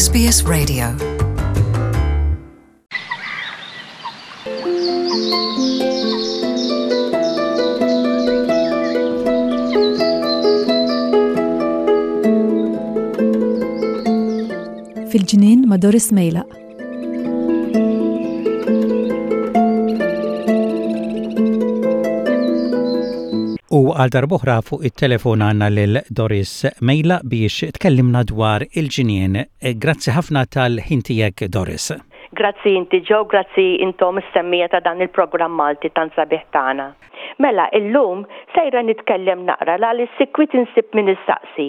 SBS Radio. Fil-ġnien ma' Doris Mejlaq. U għal darbohra fuq it-telefon għanna lil Doris Mejla biex tkellimna dwar il-ġinien. Grazzi ħafna tal-ħin tiegħek Doris. Grazzi inti Joe, grazzi intom is-semmija ta' dan il-programm Malti tant sabiħ tagħna. Mela, illum sejra nitkellem naqra l-għaliex sikwit insib min issaqsi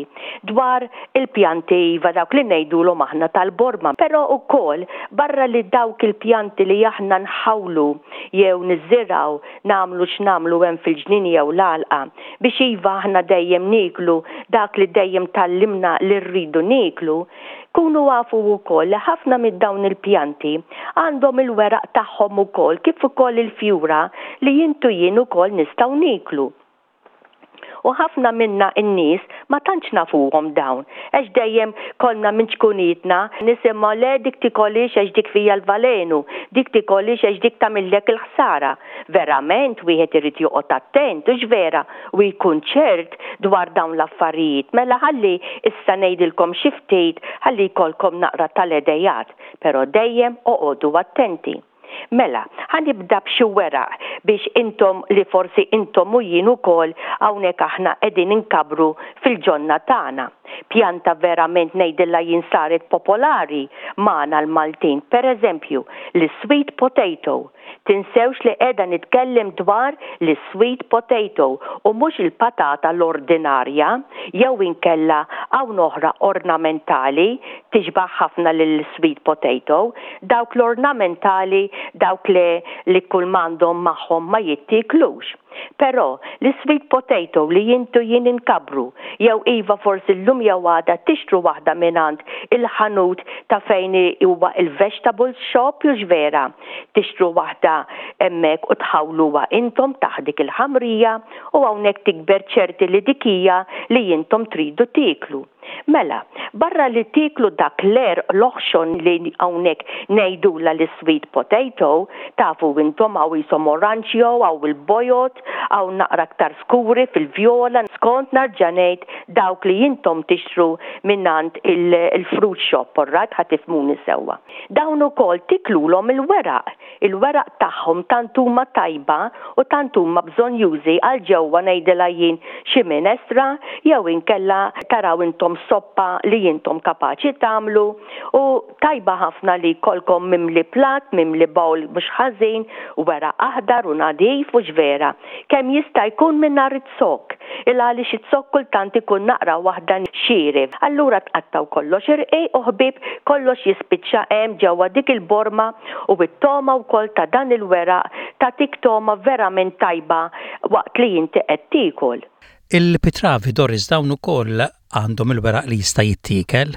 dwar il-pjanti iva dawk li ngħidulhom aħna tal-borma. Però wkoll barra li dawk il-pjanti li aħna nħawlu jew niżirgħu nagħmlu x'nagħmlu hemm fil-ġnien jew l-għalqa biex iva aħna dejjem nieklu dak li dejjem tgħallimna li rridu nieklu, Kunu afu wkoll li ħafna minn dawn il-pjanti għandhom il-weraq tagħhom ukoll kif ukoll il-fjura li int u jien ukoll nistgħu nieklu. U ħafna minna n-nies ma tantx nafuhom dawn għax dejjem konna minn ċkunietna nisimgħu le dik tikolhiex għax dik fiha l-valenu, dik tikolhiex għax dik tagħmillek il-ħsara. Verament wieħed irid joqgħod attent, hux vera, u jkun ċert dwar dawn l-affarijiet. Mela ħalli issa ngħidilkom xi ftit ħalli jkollkom naqra tal-idejat, però dejjem oqogħdu attenti. Mela, ħa nibda b'xi weraq biex intom li forsi intom u jien ukoll hawnhekk aħna qegħdin inkabbru fil-ġonna tagħna. Pjanta verament ngħidilha jien saret popolari magħna l-Maltin, pereżempju, l-sweet potato. Tinsewx li qiegħda nitkellem dwar l-sweet potato u mhux il-patata l-ordinarja jew inkella hawn oħra ornamentali tixbah ħafna lill-sweet potato. Dawk l-ornamentali dawk le li kull m'għandhom magħhom ma jittieklux. Però, l-sweet potato li int u jien inkabbru, jew iva forsi llum jew għada tixtru waħda mingħand il-ħanut ta' fejn huwa il-vegetables shop hux vera? Tixtru waħda hemmhekk u tħawluha intom taħt dik il-ħamrija u hawnhekk tikber ċerti li dik hija li intom tridu tieklu. Mela, barra li tieklu dak l-għerq l-oħxon li hawnhekk ngħidulha l-sweet potato, tafu intom hawn qishom oranġjo, hawn il-bojod, hawn naqra aktar skuri fil-vjola, skont narġa' ngħid dawk li intom tixtru mingħand il-fruit shop, orrajt ħa tifhmuni sewwa. Dawn ukoll tiklulhom il-weraq. Il-weraq tagħhom tant huma tajba u tant huma bżonnjużi għal ġewwa ngħidilha jien xi minestra jew inkella taraw intom soppa li intom kapaċi tagħmlu u tajba ħafna li jkollkom mimli platt, mimli bowl mhux ħażin, weraq aħdar u nadif hux vera? Kemm jista' jkun mingħajr iz-zokk, il għaliex iz-zokk kultant ikun naqra waħda xieref. Allura tqattgħu kollox irqiq u ħbieb kollox jispiċċa hemm ġewwa dik il-borma u t-togħma wkoll ta' dan il-weraq tagħtik togħma verament tajba waqt li inti qed tiekol. Il-pitravi Doris dawn ukoll għandhom il-weraq li jista' jittiekel?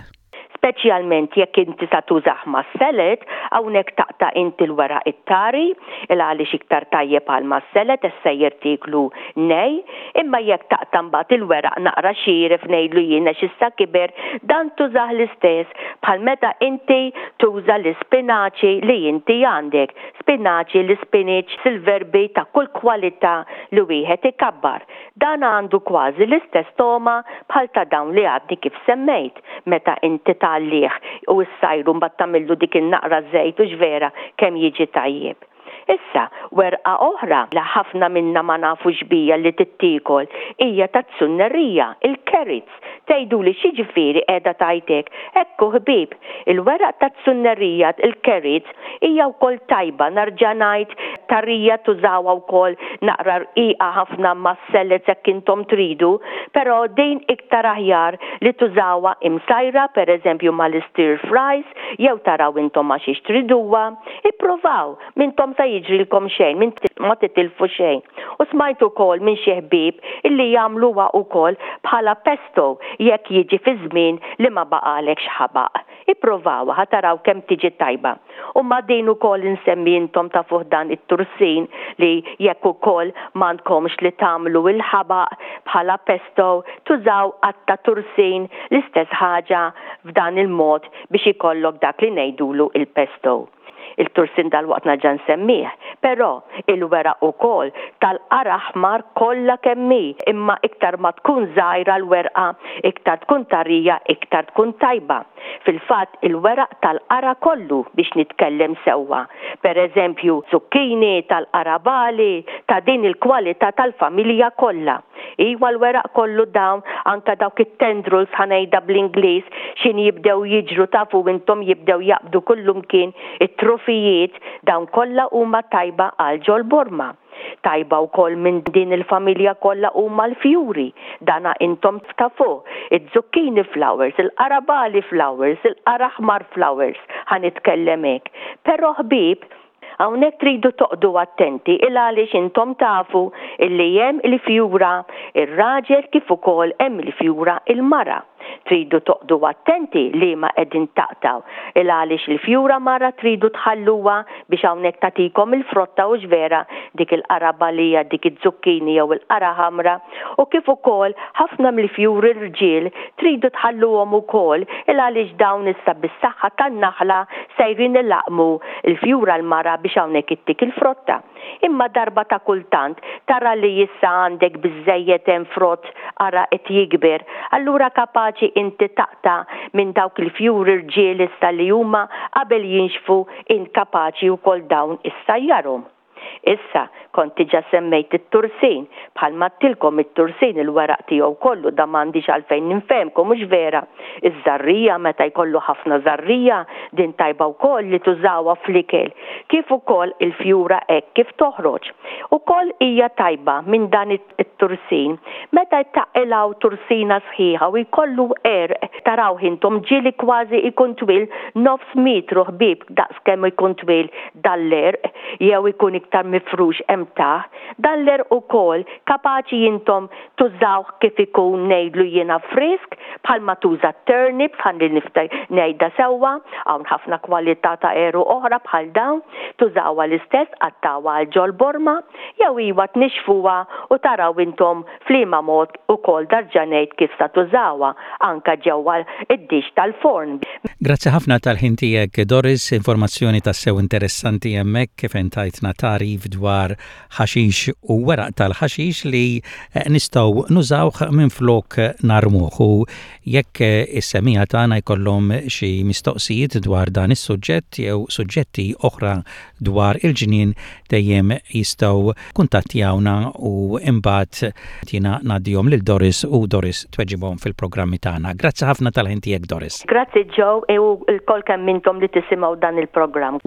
Speċjalment jekk inti sa tużah mas-salad, hawnhekk taqta' inti l-weraq it-tari, il għaliex iktar tajjeb għal mas-salad għax sejjer tieklu nej, imma jekk taqta' mbagħad il-weraq naqra xieref ngħidlu jien għax issa kiber, dan tużah l-istess bħal meta inti tuża l-ispinaċi li inti għandek, spinaċi, l-ispinach, silverbi ta' kull kwalità li wieħed ikabbar. Dan għandu kważi l-istess togħma bħal ta' dawn li għadni kif semmejt, meta inti tgħallih u ssajru mbagħad tagħmillu dik in-naqra żejt hux vera kemm jiġi tajjeb. Issa, werqa oħra li ħafna minna ma nafux biha li tittiekol hija taz-zunnerija, il-carrots. Tgħiduli x'jiġifieri qiegħda tgħid hekk? Ekku ħbieb, il-weraq taz-zunnerija, il-carrots, Hija wkoll tajba, nerġa' ngħid, tarija tużawha wkoll naqra rqiqa ħafna mas-salads jekk intom tridu, però din iktar aħjar li tużawha imsajra pereżempju mal-istir fries jew taraw intom ma' xiex triduha. Ipprovaw, m'intom sa jiġrilkom xejn, ma titilfu xejn. U smajt ukoll minn xi ħbieb illi jagħmluha wkoll bħala pesto jekk jiġi fi żmien li ma baqgħalekx ħabaq. Ipprovawha ħa taraw kemm tiġi tajba. U ma' din ukoll insemmi intom tafuh dan it-tursin li jekk ukoll m'għandkomx li tagħmlu il-ħabaq bħala pesto tużaw qatta' tursin l-istess ħaġa f'dan il-mod biex ikollok dak li ngħidulu il-pesto. Il-tursin dalwaqt nerġa' nsemmih, però il-weraq ukoll tal-qara' aħmar kollha kemm hi, imma iktar ma tkun żgħira l-werqa iktar tkun tarija iktar tkun tajba. Fil-fatt il-weraq tal-qara' kollu biex nitkellem sewwa. Per eżempju zucchini, tal-qarabagħli, ta' din il-kwalità tal-familja kollha. Iwa l-weraq kollu dawn, anke dawk it-tendrils ħa ngħidha bl-Ingliż, x'inhi jibdew jiġru tafu intom jibdew jaqbdu kullumkien it-trufijiet, dawn kollha huma tajba għal ġol-borma. Tajba wkoll minn din il-familja kollha huma l-fjuri, dana intom tafuh, iz-zucchini flowers, il-qarabagħli flowers, il-qara aħmar flowers, ħa nitkellem hekk. Però ħbieb, Hawnhekk tridu toqgħdu attenti il għaliex intom tafu illi hemm il-fjura ir-raġel kif ukoll hemm il-fjura il-mara. Tridu toqgħdu attenti liema qegħdin taqtgħu il għaliex il-fjura mara tridu tħalluha biex hawnhekk tagħtikom il-frotta hux vera dik il-qarabalija dik iz-zucchini jew il-qara ħamra u kif ukoll ħafna mill-fjuri rġiel tridu tħalluhom ukoll il għaliex dawn issa bis-saħħa tan-naħla sejrin ilaqqmu l-fjura l-mara biex hawnhekk ittik il-frotta. Imma darba ta' kultant tara li issa għandek biżżejjed hemm frott ara qed jikber, allura kapaċi inti taqta' minn dawk il-fjuri rġiel issa li huma qabel jinxfu int kapaċi wkoll dawn issajjarhom. Issa, kont diġà semmejt it-tursin. Bħalma għedtilkom it-tursin il-weraq tiegħu kollu dan m'għandix għalfejn ninfehmkom hux vera? Iż-żarrija meta jkollu ħafna żarrija din tajba wkoll li tużawha fl-ikel kif ukoll il-fjura hekk kif toħroġ. Ukoll hija tajba minn dan it-tursin meta taqilgħu tursina sħiħa u jkollu għerq tarawh intom ġieli kważi jkun twil nofs metru ħbieb daqs kemm ikun twil dan l-għerq jew ikun iktar mifrux hemm taħt, dan l-għerq ukoll kapaċi intom tużawh kif ikun ngħidlu jiena frisk bħalma tuża t-turnips ħalli ngħidha sewwa, hawn ħafna kwalità ta' għeruq oħra bħal dawn, tużawha l-istess tqattgħuha għal ġol-borma jew iwa tnixxfuha u taraw intom f'liema mod ukoll darġa' ngħid kif sa tużawha anke ġewwa d-dixx tal-forn. Grazzi ħafna tal-ħin tiegħek Doris, informazzjoni tassew interessanti hemmhekk fejn tajtna tagħrif dwar ħaxix u weraq tal-ħaxix li nistgħu nużawh minflok narmuh u jekk is-semmiegħa tagħna jkollhom xi mistoqsijiet dwar dan is-suġġett jew suġġetti oħra dwar il-ġnien dejjem jistgħu kuntattjawna u imbagħad jiena ngħaddihom lil Doris u Doris tweġibhom fil-programmi tagħna. Grazzi ħafna tal-ħin tiegħek Doris. Grazzi Joe u lkoll kemm intom li tisimgħu dan il-programm.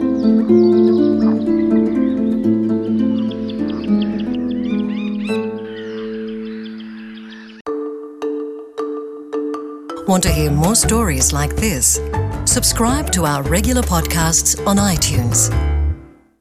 Want to hear more stories like this? Subscribe to our regular podcasts on iTunes.